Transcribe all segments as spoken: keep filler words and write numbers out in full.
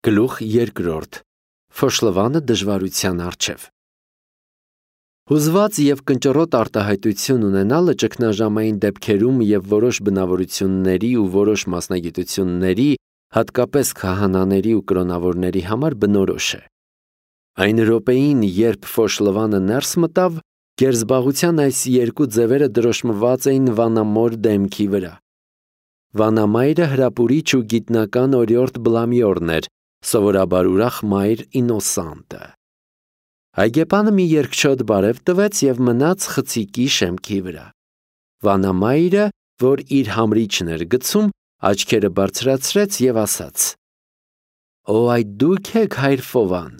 Գլուխ երկրորդ. Ֆոշլվանը դժվարության առջև։ Հուզված և կնճռոտ արտահայտություն ունենալը ճգնաժամային դեպքերում և որոշ բնավորությունների ու որոշ մասնագիտությունների, հատկապես քահանաների ու կրոնավորների համար բնորոշ է։ Այն րոպեին, երբ Ֆոշլվանը ներս մտավ, գերզբաղության այս երկու ձևերը դրոշմված էին վանամոր դեմքի վրա։ Վանամայրը հրապուրիչ ու գիտնական օրիորդ Բլամյորն էր, սովորաբար ուրախ մայր Ինոսանտը։ Այգեպանը մի երկչոտ բարև տվեց և մնաց խցիկի շեմքի վրա։ Վանամայրը, որ իր համրիչն էր գցում, աչքերը բարձրացրեց և ասաց. «Օ, այդ դու՞ք եք, հայր Ֆովան»։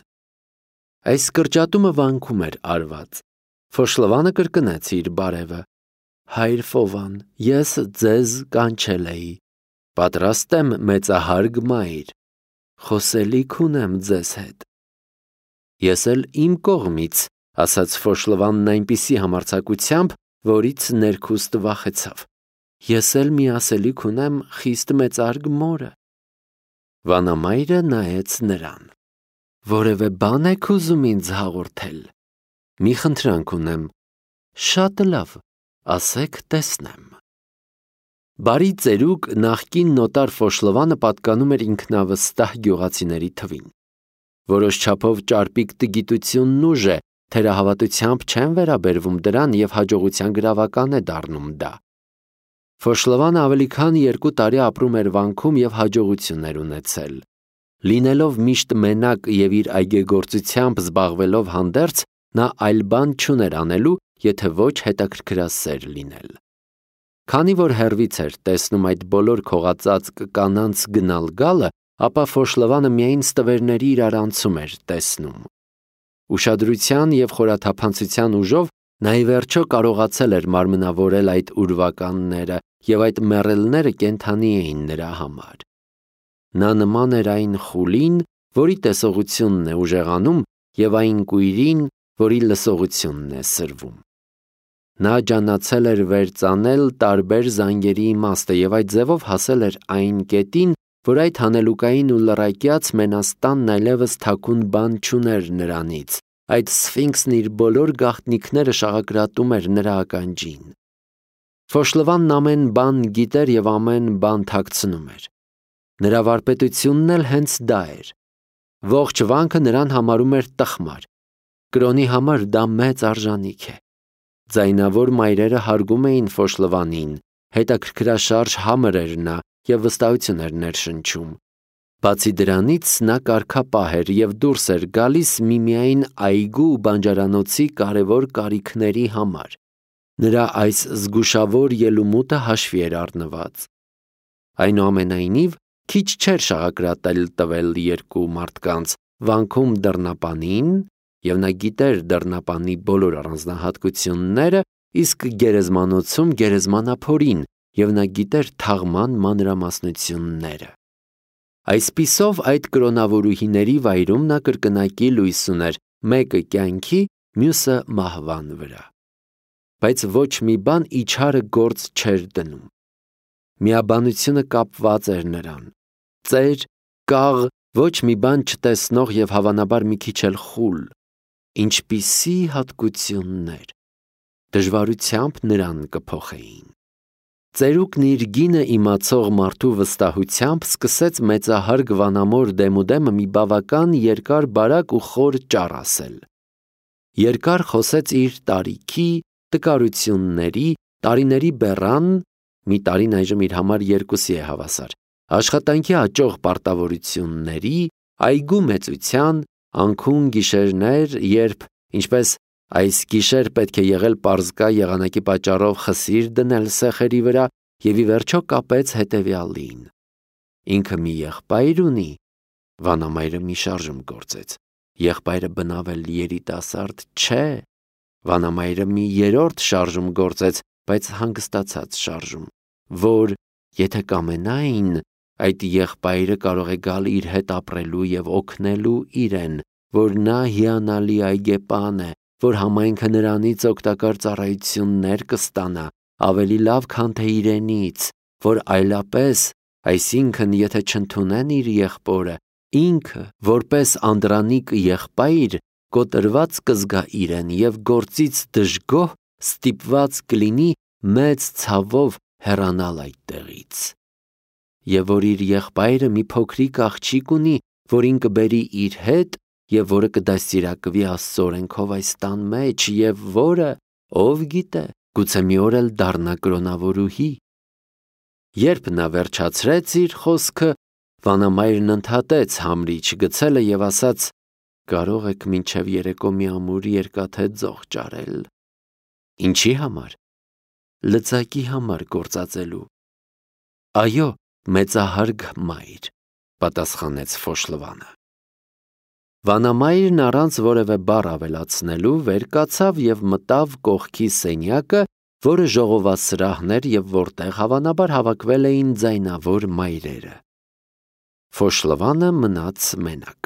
Այս կրճատումը վանքում էր արված։ Ֆոշլվանը կրկնեց իր բարևը. «Հայր Ֆովան, ես ձեզ կանչել էի, պատրաստ եմ մեծահարգ մայր, խոսելիք ունեմ ձեզ հետ»։ Ես էլ իմ կողմից, ասաց Ֆոշլվանն այնպիսի համարձակությամբ, որից ներքուստ վախեցավ, ես էլ մի ասելիք ունեմ խիստ մեծահարգ մորը։ Վանամայրը նայեց նրան. «Որևէ բան եք ուզում ինձ հաղորդել։ Մի խնդրանք ունեմ, շատ լավ, ասեք տեսնեմ»։ Բարի ծերուկ նախկին նոտար Ֆոշլվանը պատկանում էր ինքնավստահ գյուղացիների թվին։ Որոշ չափով ճարպիկ տգիտությունն ուժ է, թերահավատությամբ չեն վերաբերվում դրան և հաջողության գրավական է դառնում դա։ Ֆոշլվանը ավելի քան երկու տարի ապրում էր վանքում և հաջողություններ ունեցել։ Լինելով միշտ մենակ և իր այգեգործությամբ զբաղվելով հանդերձ, նա այլ բան չուներ անելու, եթե ոչ հետաքրքրասեր լինել։ Քանի որ հեռվից էր տեսնում այդ բոլոր քողածածկ կանանց գնալ-գալը, ապա Ֆոշլվանը միայն ստվերների իրարանցում էր տեսնում։ Ուշադրության և խորաթափանցության ուժով նա ի վերջո կարողացել էր մարմնավորել այդ ուրվականները, և այդ մեռելները կենդանի էին նրա համար։ Նա նման էր այն խուլին, որի տեսողությունն է ուժեղանում, և այն կույրին, որի լսողությունն է սրվում։ Նա ջանացել էր վերծանել տարբեր զանգերի իմաստը և այդ ձևով հասել էր այն կետին, որ այդ հանելուկային ու լռակյաց մենաստանն այլևս թաքուն բան չուներ նրանից, այդ սֆինքսն իր բոլոր գաղտնիքները շաղակրատում էր նրա ականջին։ Ֆոշլվանն ամեն բան գիտեր և ամեն բան թաքցնում էր։ Նրա վարպետությունն էլ հենց դա էր։ Ողջ վանքը նրան համարում էր տխմար։ Կրոնի համար դա մեծ արժանիք է։ Ձայնավոր մայրերը հարգում էին Ֆոշլվանին, հետաքրքրաշարժ համր էր նա և վստահություն էր ներշնչում։ Բացի դրանից, նա կարգապահ էր և դուրս էր գալիս միմիայն այգու ու բանջարանոցի կարևոր կարիքների համար։ Նրա այս զգուշավոր ելումուտը հաշվի էր առնված։ Այնուամենայնիվ, քիչ չէր շաղակրատել տվել երկու մարդկանց՝ վանքում դռնապանին, և նա գիտեր դռնապանի բոլոր առանձնահատկությունները, իսկ գերեզմանոցում գերեզմանափորին, և նա գիտեր թաղման մանրամասնությունները։ Այսպիսով, այդ կրոնավորուհիների վայրում նա կրկնակի լույս ուներ, մեկը կյանքի, մյուսը մահվան վրա։ Բայց ոչ մի բան իչարը գործ չէր դնում։ Միաբանությունը կապված էր նրան։ Ծեր, կաղ, ոչ մի բան չտեսնող և հավանաբար մի քիչ էլ խուլ։ Ինչպիսի հատկություններ… Դժվարությամբ նրան կփոխեին։ Ծերուկն իր գինը իմացող մարդու վստահությամբ սկսեց մեծահարգ վանամոր դեմուդեմը մի բավական երկար-բարակ ու խոր ճառ ասել։ Երկար խոսեց իր տարիքի, տկարությունների, տարիների բեռան (մի տարին այժմ իր համար երկուսի է հավասար), աշխատանքի աճող պարտավորությունների, այգու մեծության, անքուն գիշերներ, երբ, ինչպես այս գիշեր պետք է եղել պարզկա եղանակի պատճառով խսիր դնել սեխերի վրա, և ի վերջո կապեց հետևյալին. ինքը մի եղբայր ունի, վանամայրը մի շարժում գործեց, եղբայրը բնավ էլ երիտասարդ չէ, վանամայրը մի երրորդ շարժում գործեց, բայց հանգստացած շարժում, որ, եթե կամենային, այդ եղբայրը կարող է գալ իր հետ ապրելու և օգնելու իրեն, որ նա հիանալի այգեպան է, որ համայնքը նրանից օգտակար ծառայություններ կստանա, ավելի լավ, քան թե իրենից, որ այլապես, այսինքն, եթե չընդունեն իր եղբորը, Ինքը, որպես անդրանիկ եղբայր, կոտրված կզգա իրեն և գործից դժգոհ ստիպված կլինի մեծ ցավով հեռանալ այդտեղից։ Եվ որ իր եղբայրը մի փոքրիկ աղջիկ ունի, որին կբերի իր հետ և որը կդաստիարակվի Աստծո օրենքով այս տան մեջ և որը, ով գիտե, գուցե մի օր էլ դառնա կրոնավորուհի։ Երբ նա վերջացրեց իր խոսքը, վանամայրն ընդհատեց համրիչ գցելը և ասաց. «Կարող եք մինչև երեկո մի ամուր երկաթե ձող ճարել»։ Ինչի համար։ Լծակի համար գործածելու։ Այո, մեծահարգ մայր, պատասխանեց Ֆոշլվանը։ Վանամայրն առանց որևէ բառ ավելացնելու վեր կացավ և մտավ կողքի սենյակը, որը ժողովածրահն էր և որտեղ հավանաբար հավաքվել էին ձայնավոր մայրերը։ Ֆոշլվանը մնաց մենակ։